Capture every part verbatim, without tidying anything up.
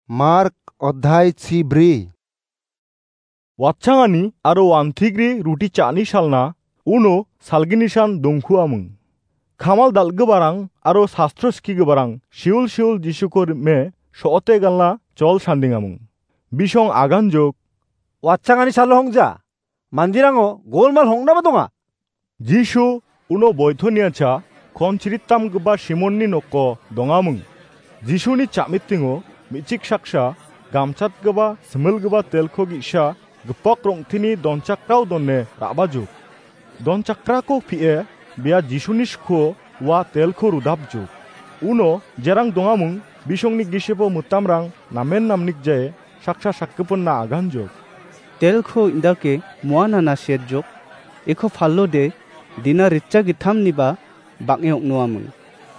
Mark odhai chibri. Watchangani aro wantigri ruti cha·ani salna uno salginisan dongkuaming. Kamal dal·giparang aro sastro skigiparang siul siul Jisuko rime so·ote galna jol sandingaming. Bisong aganjok, "Watchangani salo hongja, manderango golmal hongnaba donga." Jisu uno Boitoniacha kon chirittamgipa Simonni noko dongaming. Jisuni cha·mitingo me·chik saksa gamchatgipa similgipa telko ge·sa gipok rong·teni donchakrao done ra·bajok. Donchakrako pie bia Jisuni skuo ua telko rudapjok. Uno jerang dongaming bisongni gisepo mitamrang namen namnikjae saksa sakgipinna aganjok. "Telko indake muanana serjok, iko palode dina ritcha gittamniba bang·e ong·noaming,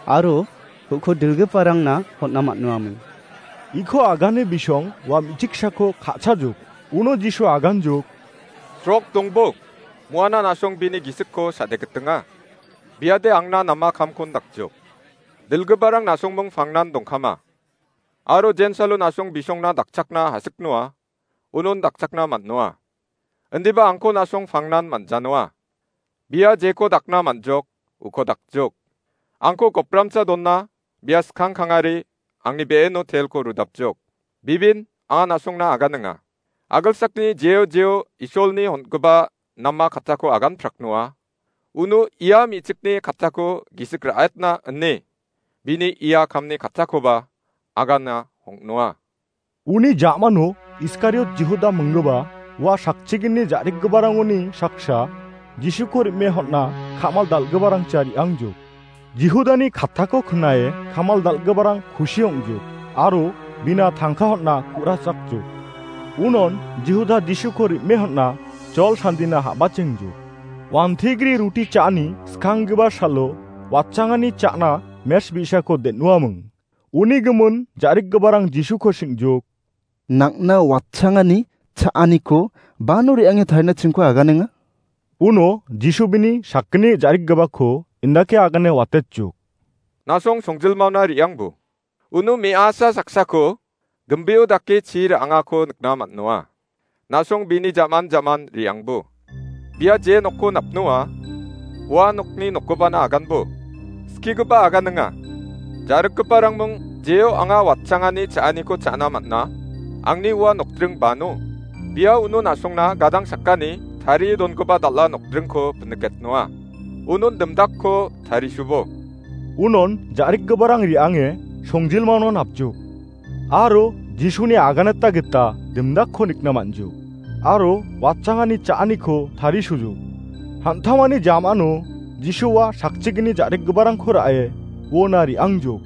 aro uko dilgiparangna hon·na man·noaming." Iko agane bisong ua me·chiksako ka·chajok. Uno Jisu aganjok, "Srok dongbok, muana nasong bini gisikko sadegitinga. Biade angna nama kamkon dakjok. Dilgiparang nasongming pangnan dongkama. Aro jensalo nasong bisongna dakchakna hasik noa, unon dakchakna man·noa. Indiba angko nasong pangnan man·janoa. Bia jeko dakna man·jok, uko dakjok. Angko gopramsa donna, bia skang kangari, angni be·eno telko rudapjok. Bibin, anga nasongna aganinga. Agilsakni jeo jeo Isolni hon·gipa nama kattako agan praknoa. Uno ia me·chikni kattako gisik ra·etna ine, bini ia kamni kattakoba agana hong·noa." Uni ja·mano Iskariot Jihuda minggipa ua sakchigini ja·rikgiparangoni saksa Jisuko rime hon·na kamal dal·giparangcha re·angjok. Jihudani kattako knae kamal dal·giparang kusi ong·jok aro bina tangka hon·na ku·rachakjok. Unon Jihuda Jisuko rime hon·na jol sandina habachengjok. Wantegri ruti cha·ani skanggipa salo watchangani cha·na mes bi·sako den·uaming. Uni gimin ja·rikgiparang Jisuko sing·jok, "Nang·na watchangani cha·aniko bano re·ange tarina chingko aganenga?" Uno Jisu bini sakgni ja·rikgipako indake agane watetjok, "Nasong songjilmaona re·angbo. Uno me·asa saksako gimbio dake chi ra·angako nikna man·noa. Nasong bini jaman jaman re·angbo. Bia je nokko napnoa, ua nokni nokobana aganbo. Skigipa aganinga. Ja·rikgiparangming jeo anga watchangani cha·aniko cha·na man·a, angni ua nokdring bano. Bia uno nasongna gadang sakani tarie dongipa dal·a nokdringko piniketnoa. Unon dimdakko tarisubo." Unon ja·rikgiparang re·ange songjilmaono napjok. Aro Jisuni aganata gita dimdakko nikna man·jok. Aro watchangani cha·aniko tarisojok. Hantamani jamano Jisua sakchigni ja·rikgiparangko ra·e uona re·angjok.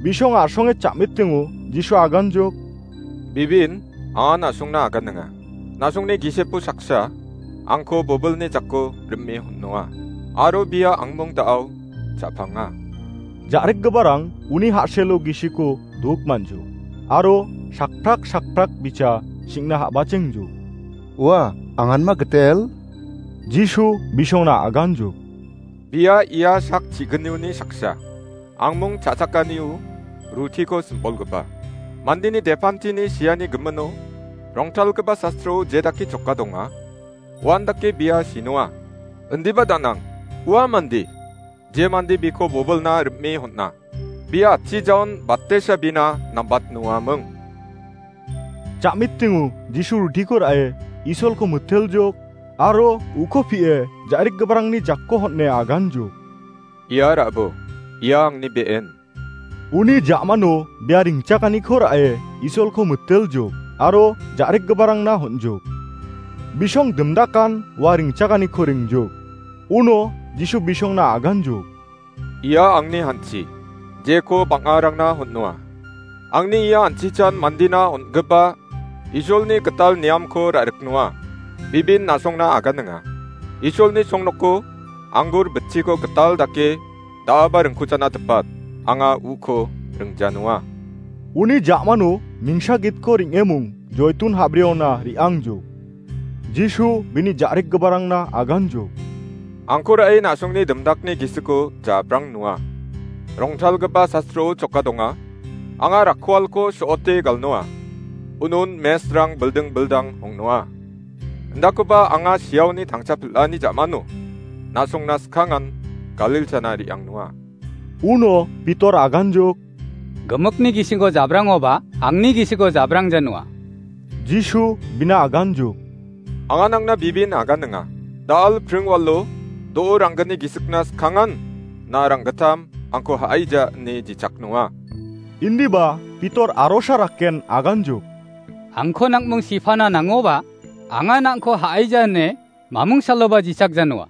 Bisong a·songe cha·mitingo Jisu aganjok, "Bibin, anga na·songna aganinga. Na·songni gisepo saksa angko bobilni jako rime hon·noa. Aro bia angmong da·ao cha·panga." Ja·rikgiparang uni ha·selo gisiko duk man·jok, aro sakprak sakprak bicha sing·na ha·bachengjok. "Ua, anganma gitel?" Jisu bisongna aganjok, "Bia ia sak chignioni saksa, angmong cha·chakanio rutiko simbolgipa. Mandeni depantini siani gimino rongtalgipa sastrao je dake choka donga, uandake bia sinoa. Indiba danang, ua mande, je mande biko bobilna rime hon·a, bia atchijaon batesa bina nambatnoaming." Ja·mitingo Jisu rutiko ra·e Isolko miteljok aro uko pie ja·rikgiparangni jako hon·e aganjok, "Ia ra·bo, ia angni be·en." Uni ja·mano bia ringchakaniko ra·e Isolko miteljok aro ja·rikgiparangna hon·jok. Bisong dimdakan ua ringchakaniko ringjok. Uno Jisu bisongna aganjok, "Ia angni hanchi, jeko bang·arangna hon·noa. Angni ia hanchichan mandina on·gipa Isolni gital niamko ra·riknoa. Bibin na·songna aganinga. Isolni songnoko anggur bitchiko gital dake da·aba ringkuchana tipat, anga uko ringjanoa." Uni ja·mano mingsa gitko reng·emung joitun ha·briona re·angjok. Jisu bini ja·rikgiparangna aganjok, "Angko ra·e na·songni dimdakni gisiko ja·aprang noa. Rongtalgipa sastrao choka donga, Anga rakkualko so·ote galnoa. Unon mesrang bilding bildang ong·noa. Indakoba anga siaoni tangcha pil·ani ja·mano. Na·songna skangan Galil chana re·angnoa. Uno Pitor aganjok. Gimikni gisiko jabrangoba, angni gisiko jabrang janoa. Jisu bina aganjok. Anga nangna bibin aganinga. Da·al pringwalo, do·o ranggni gisikna skangan, na ranggittam, angko ha·aija ine jichaknoa. Indiba Pitor arosa rakken aganjok. Angko nang·mung sipana nangoba, anga nangko ha·aija ine mamung saloba jichak janoa.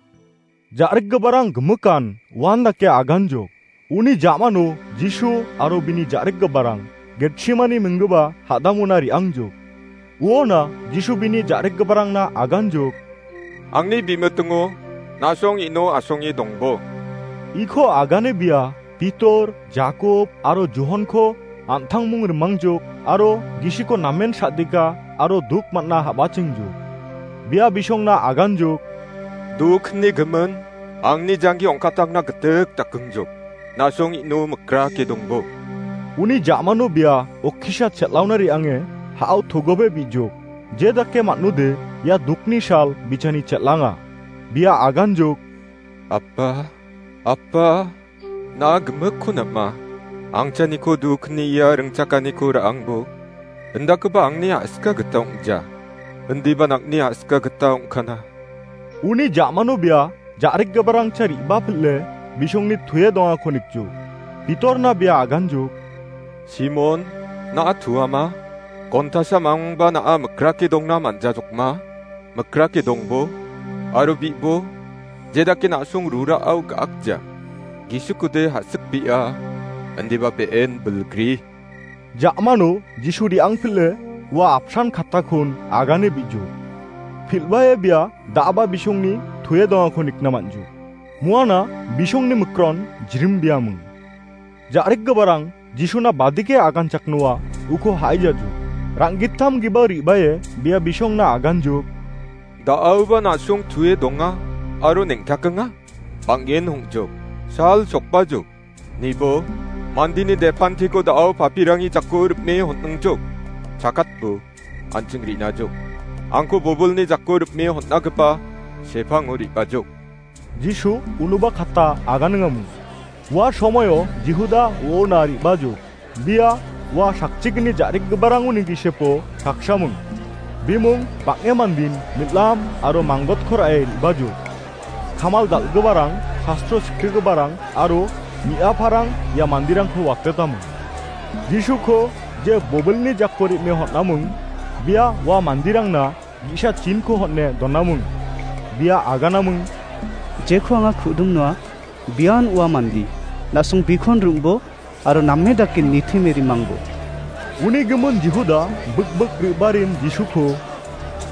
Ja·rikgiparang gimikan uan dake aganjok. Uni ja·mano Jisu aro bini ja·rikgiparang Getsemani minggipa ha·damona re·angjok. Uona Jisu bini ja·rikgiparangna aganjok. Angni bimitingo na·song ino asonge dongbo. Iko agane bia Pitor, Jakob aro Johonko an·tangmung rimangjok aro gisiko namen sa·dika aro duk man·a ha·bachengjok. Bia bisongna aganjok. Dukni gimin, angni janggi ong·katangna gitik dakingjok. Na·song ino mikrake dongbo. Uni ja·mano bia okkisa chel·aona re·ange ha·o togobe bijok. Je dake man·ode ia dukni sal bichani chel·anga. Bia aganjok. Apa, Apa, na gimikko nam·a. Angchaniko dukni ia ringchakaniko ra·angbo. Indakoba angni a·sika gita ong·ja. Indiba nangni a·sika gita ong·kana. Uni ja·mano bia ja·rikgiparangcha re·bapil·e bisongni tuie dongako nikjok. Pitorna bia aganjok. Simon, na·a tuama? Gontasa mangba na·a mikrake dongna man·jajokma? Mikrake dongbo, aro bi·bo, jedake na·song rurao ga·akja. Gisikude ha·sikbia, indiba be·en bilgri. Ja·mano Jisu re·angpil·e ua apsan kattakon agane bi·jo. Pil·bae bia da·aba bisongni tuie dongako nikna man·jo. Muana bisongni mikron jirimbiaming. Ja·rikgiparang Jisuna badike aganchaknoa uko ha·aijajo. Rang·gittam giba re·bae bia bisongna aganjok. Da·aoba na·song tue donga aro neng·takenga. Bang·en hong·jok. Sal sokbajok. Nibo, mandini depantiko da·ao papirangi jako ripme hon·ingjok. Chakatbo, an·ching rinajok. Angko bobolni jako ripme hon·agipa sepango re·bajok. Jisu unoba katta aganingamung. Ua somoio Jihuda uona re·bajok. Bia ua sakchigni ja·rikgiparangoni gisepo saksamung. Bimung bang·e mandin mil·am aro manggotko ra·e re·bajok. Kamal dal·giparang, sastro sikgiparang aro mi·aparang ia manderangko watetamung. Jisuko je bobilni jako re·me hon·amung, bia ua manderangna ge·sa chinko hon·e donamung. Bia aganamung. Jeko anga ku·dimnoa, bian ua mande. Na·song bikon rim·bo, aro name dake nitime rimangbo. Uni gimin Jihuda bikbik re·barin Jisuko,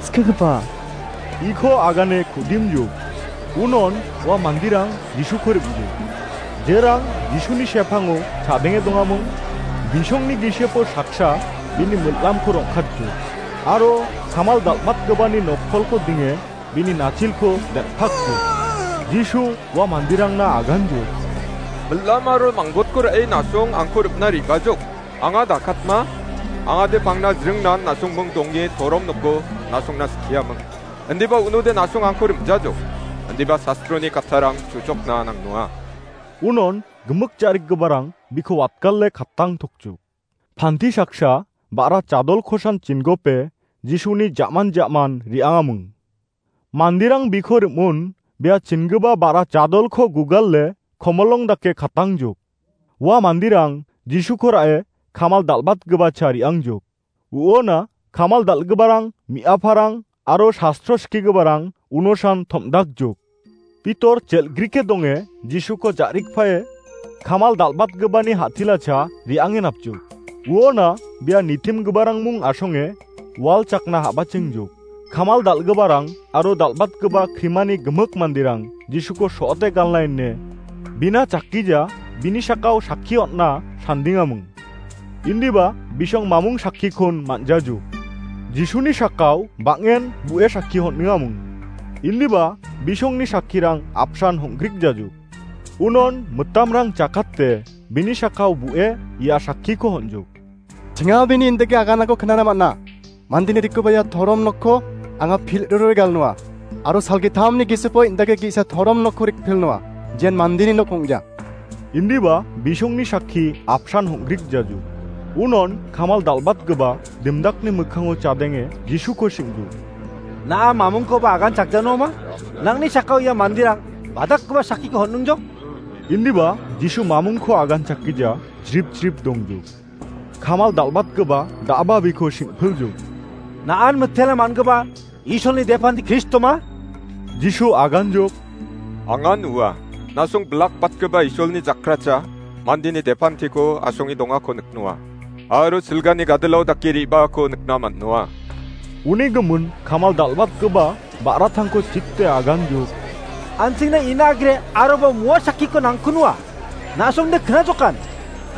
Skigipa, iko agane ku·dimjok. Unon ua manderang Jisuko rim·jok. Jerang Jisuni sepango chadenge dongamung, bisongni gisepo saksa bini mil·amko rong·katjok. Aro kamal dal·batgipani nokkolko dinge bini nachilko del·pakjok. Jisu ua manderangna aganjok. Mil·am aro manggotko ra·e na·song angko ripna re·bajok. Anga dakatma, angade pangna jringnan na·song ming donge torom noko na·songna skiaming. Indiba unode na·song angko rim·jajok. Indiba sastroni kattarang chuchokna nangnoa. Unon gimik ja·rikgiparang biko watgale kattang tokjok. Panti saksa ba·ra chadolkosan chingope Jisuni jaman jaman re·angamung. Manderang biko rim·on bia chingipa ba·ra chadolko gugale komolong dake katangjok. Ua manderang Jisuko ra·e kamal dal·batgipacha re·angjok. Uona kamal dal·giparang, mi·aparang aro sastro skigiparang unosan tom·dakjok. Pitor jel·grike donge Jisuko ja·rikpae kamal dal·batgipani ha·tilacha re·ange napjok. Uona bia nitimgiparang mung asonge wal chakna ha·bachengjok. Kamal dal·giparang aro dal·batgipa krimani gimik manderang Jisuko so·ote galna ine bina chakkija, bini sakao sakki on·na sandingamung. Indiba bisong mamung sakkikon man·jajok. Jisuni sakao bang·en bu·e sakki hon·engamung. Indiba bisongni sakkirang apsan hong·grikjajok. Unon mitamrang jakate bini sakao bu·e ia sakkiko hon·jok. Chinga bini indake aganako knana man·a. Mandini rikkubaia torom nokko anga pil·ruroi galnoa. Aro salgitamni gisipo indake ge·sa torom nokko rikpilnoa. Jen mandini nok ong·ja. Indiba bisongni sakki apsan hong·grikjaju. Unon kamal dal·batgipa dimdakni mikkango chadenge Jisuko sing·ju. Na·a mamungkoba agan chakjanoma? Nangni sakao ia manderang badakgipa sakkiko hon·nongjok? Indiba Jisu mamungko agan chakkija jrip jrip dongju. Kamal dal·batgipa da·aba biko sing·pilju. Na·an mitela man·gipa Isolni depandi Kristoma? Jisu aganjok. Angan ua. Nasong bilakbatgipa Isolni jakracha mandini depantiko asonge dongako niknoa. Aro silgani gadilao dake re·baako nikna man·noa. Uni gimin kamal dal·batgipa ba·ratangko chikte aganjok. An·chingna ina agre aroba mua sakkiko nangkunua. Na·songde knajokan.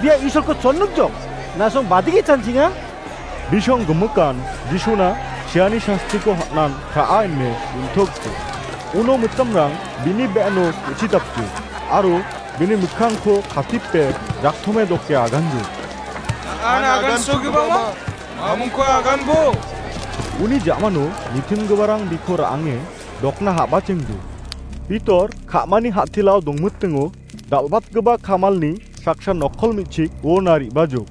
Bia Isolko chonnukjok. Na·song badigi chanchinga? Bisong gimikan Jisuna chiani sastiko hatnan ka·a ine untokjok. Uno mitamrang bini be·ano ku·chidapjok. Aro bini mikkangko katipe jaktome doke aganjok. An agan sogibama, mamungko aganbo. Uni ja·mano nitimgiparang biko ra·ange dokna ha·bachengjo. Pitor ka·mani ha·tilao dongmitingo dal·batgipa kamalni saksa nokkol me·chik uona re·bajok.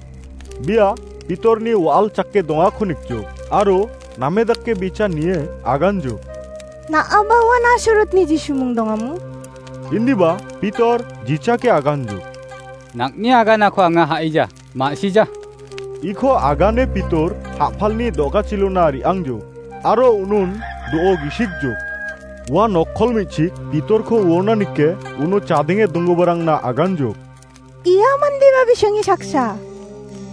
Bia Pitorni wa·al chake dongako nikjok aro name dake bicha nie aganjok. Na·aba ua Nasarotni Jisumung dongamo? Indiba Pitor jichake aganjok. Nangni aganako anga ha·ija, ma·sija. Iko agane Pitor ha·palni do·gachilona re·angjok, aro unon do·o gisikjok. Ua nokkol me·chik Pitorko uona nike uno chadenge donggiparangna aganjok. Ia mandeba bisongni saksa.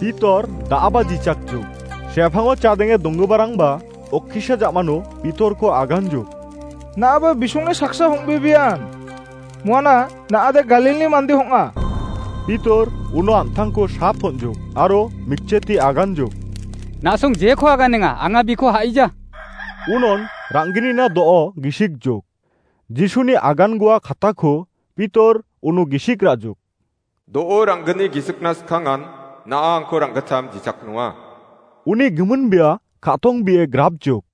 Pitor da·aba jichakjok. Sepango chadenge donggiparangba okkisa ja·mano Pitorko aganjok. Na·aba bisongni saksa hong·bebean. Muana na·ade Galilni mande hong·a. Pitor uno an·tangko sap on·jok aro mikcheti aganjok. Na·song jeko aganenga, anga biko ha·ija. Unon rang·gnina do·o gisikjok. Jisuni agangoa katako Pitor uno gisik ra·jok. Do·o rang·gni gisikna skangan na·a angko rang·gittam jichaknoa. Uni gimin bia ka·tong bie grapjok.